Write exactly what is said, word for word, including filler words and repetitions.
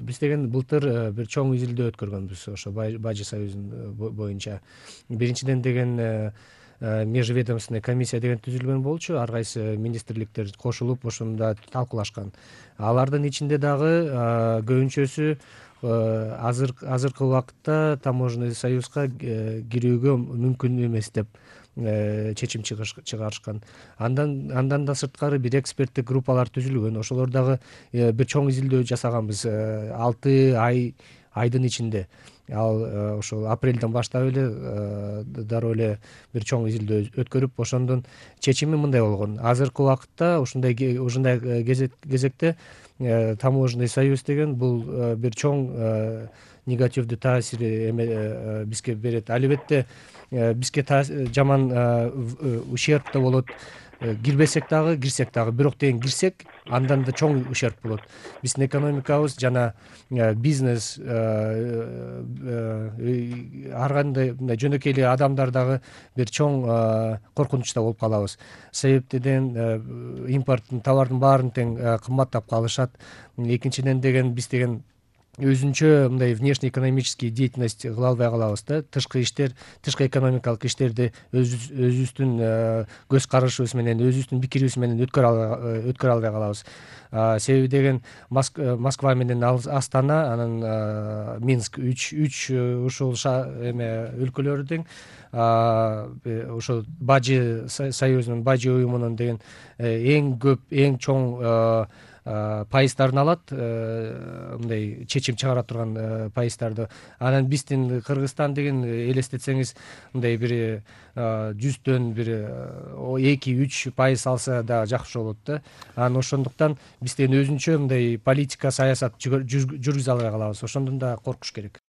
Биз деген былтыр бир чоң изилдөө өткөргөнбүз ошо Бажы союзунун боюнча. Биринчиден деген межведомственный комиссия деген түзүлгөн болчу, ар кайсы министрликтер кошулуп ошондо талкуулашкан. Алардын ичинде дагы көбүнчөсү азыр азыркы убакытта таможенный союзга кирүүгө мүмкүн эмес деп чечим чыгарышкан. Андан андан да сырткары бир эксперттик группалар түзүлгөн. Ошолор дагы бир чоң изилдөө жасаганбыз алты ай айдын ичинде. Ал ошол апрелден баштап эле дароо эле бир чоң изилдөө өткөрүп, ошондон чечими мындай болгон. Азыркы убакытта ушундай ушундай кезекте таможенный союз деген бул бир чоң негативдүү таасир бизге берет. Албетте бизге жаман ущерб да болот. Кирбесек дагы, кирсек дагы. Бирок деген кирсек, андан да чоң ущерб болот. Биздин экономикабыз жана бизнес ар кандай мындай жөнөкөй эле адамдар дагы бир чоң коркунучта болуп калабыз. Себептен импорттун товардын баарын тең кымбаттап калышат. Экинчиден деген биз деген өзүнчө мындай внешнеэкономический деятельность кыла албай калабыз да. Тышкы иштер, тышкы экономикалык иштерди өзүбүздүн көз карашыбыз менен, өзүбүздүн пикирибиз менен өткөрө албай калабыз. Себеби деген Москва менен Астана, анан Минск үч үч ушул эме өлкөлөрү тең ошо Бажы союзунун, Бажы уюмунун деген эң көп, эң чоң пайыздарын алат, мындай чечим чыгара турган пайыздарды. Анан биздин Кыргызстан деген элестетсеңиз, мындай бир жүздөн бир эки үч пайыз алса да жакшы болот да. Анан ошондуктан биз деген өзүнчө мындай политика, саясат жүргүзө албай калабыз. Ошондон да коркуш керек.